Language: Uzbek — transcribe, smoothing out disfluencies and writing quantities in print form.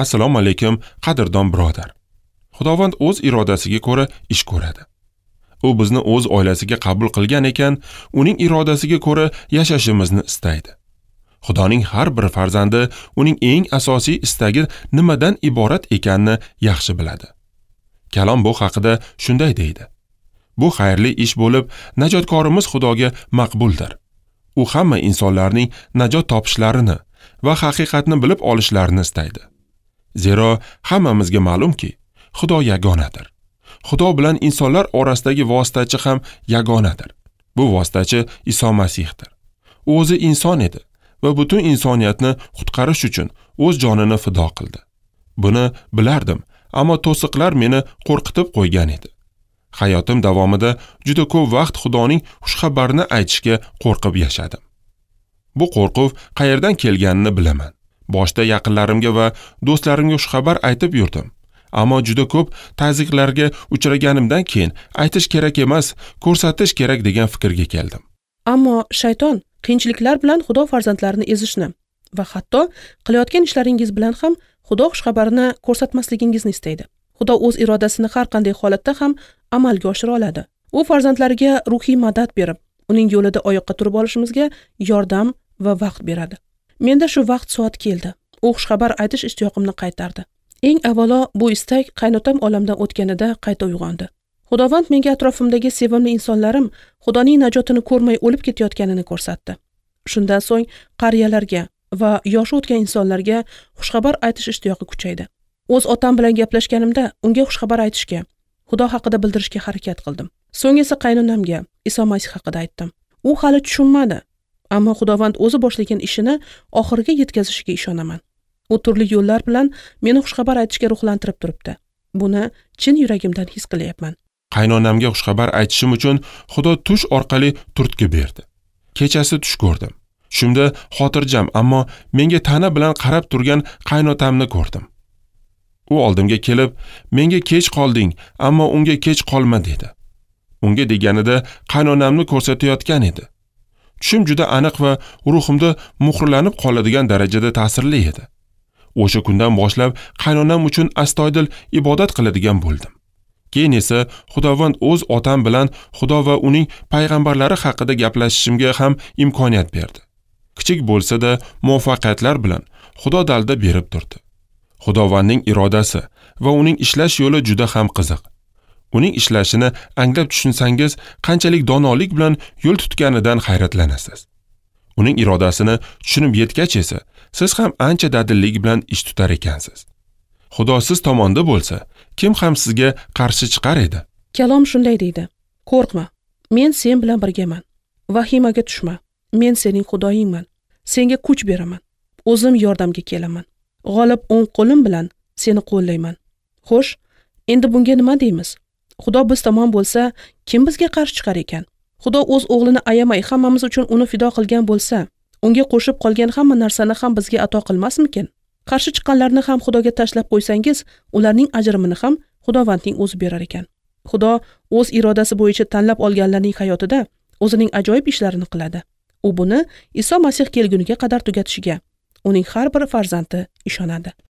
Assalomu alaykum, qadrdon birodar. Xudovand o'z irodasiga ko'ra ish ko'radi. U bizni o'z oilasiga qabul qilgan ekan, uning irodasiga ko'ra yashashimizni istaydi. Xudoning har bir farzandi uning eng asosiy istagi nimadan iborat ekanini yaxshi biladi. Kalom bu haqida shunday deydi: Bu xayrli ish bo'lib, najotkorimiz Xudoga maqbuldir. U hamma insonlarning najot topishlarini va haqiqatni bilib olishlarini istaydi. Zero hammamizga ma'lumki, Xudo yagonadir. Xudo bilan insonlar orasidagi vositachi ham yagonadir. Bu vositachi Iso Masihdir. U o'zi inson edi va butun insoniyatni qutqarish uchun o'z jonini fido qildi. Buni bilardim, ammo to'siqlar meni qo'rqitib qo'ygan edi. Hayotim davomida juda ko'p vaqt Xudoning xushxabarini aytishga qo'rqib yashadim. Bu qo'rquv qayerdan kelganini bilaman. Boshda yaqinlarimga va do'stlarimga xushxabar aytib yurdim. Ammo juda ko'p tazyiqlarga uchraganimdan keyin aytish kerak emas, ko'rsatish kerak degan fikrga keldim. Ammo shayton qiyinchiliklar bilan Xudo farzandlarini ezishni va hatto qilayotgan ishlaringiz bilan ham Xudo xushxabarini ko'rsatmasligingizni istaydi. Xudo o'z irodasini har qanday holatda ham amalga oshira oladi. U farzandlariga ruhiy madad berib, uning yo'lida oyoqqa turib olishimizga yordam va vaqt beradi. Menda shu vaqt soat keldi. U xushxabar aytish ishtiyoqimni qaytardi. Eng avvalo bu istak qaynotam olamdan o'tganida qayta uyg'ondi. Xudovand menga atrofimdagi sevimli insonlarim Xudoning najotini ko'rmay o'lib ketayotganini ko'rsatdi. Shundan so'ng qariyalarga va yoshi o'tgan insonlarga xushxabar aytish ishtiyoqi kuchaydi. O'z otam bilan gaplashganimda unga xushxabar aytishga, Xudo haqida bildirishga harakat qildim. So'ng esa qaynonamga Iso Masih haqida aytdim. U hali tushunmadi, ammo Xudovand o'zi boshlagan ishini oxiriga yetkazishiga ishonaman. U turli yo'llar bilan meni xushxabar aytishga ruhlantirib turibdi. Buni chin yuragimdan his qilyapman. Qaynonamga xushxabar aytishim uchun Xudo tush orqali turtki berdi. Kechasi tush ko'rdim. Tushimda xotirjam, ammo menga ta'na bilan qarab turgan qaynotamni ko'rdim. U oldimga kelib, menga kech qolding, ammo unga kech qolma dedi. Unga deganida qaynonamni ko'rsatayotgan edi. Tushim juda aniq va ruhimda muhrlanib qoladigan darajada ta'sirli edi. O'sha kundan boshlab qaynonam uchun astoydil ibodat qiladigan bo'ldim. Keyin esa Xudovand o'z otam bilan Xudo va uning payg'ambarlari haqida gaplashishimga ham imkoniyat berdi. Kichik bo'lsa-da muvaffaqiyatlar bilan Xudo dalda berib turdi. Xudovandning irodasi va uning ishlash yo'li juda ham qiziq. Uning ishlashini anglab tushunsangiz, qanchalik donolik bilan yo'l tutganidan hayratlanasiz. Uning irodasini tushunib yetgach esa, siz ham ancha dadillik bilan ish tutar ekansiz. Xudo siz tomonda bo'lsa, kim ham sizga qarshi chiqar edi? Kalom shunday deydi: Qo'rqma, men sen bilan birgaman. Vahimaga tushma, men sening Xudoyingman. Senga kuch beraman. O'zim yordamga kelaman. G'olib o'ng qo'lim bilan seni qo'llayman. Xo'sh, endi bunga nima deymiz? Xudo biz tomon bo'lsa, kim bizga qarshi chiqar ekan? Xudo o'z o'g'lini ayamay hammamiz uchun uni fido qilgan bo'lsa, unga qo'shib qolgan hamma narsani ham bizga ato qilmasmikin? Qarshi chiqqanlarni ham Xudoga tashlab qo'ysangiz, ularning ajrimini ham Xudovandning o'zi berar ekan. Xudo o'z irodasi bo'yicha tanlab olganlarning hayotida o'zining ajoyib ishlarini qiladi. U buni Iso Masih kelguniga qadar tugatishiga uning har bir farzandi ishonadi.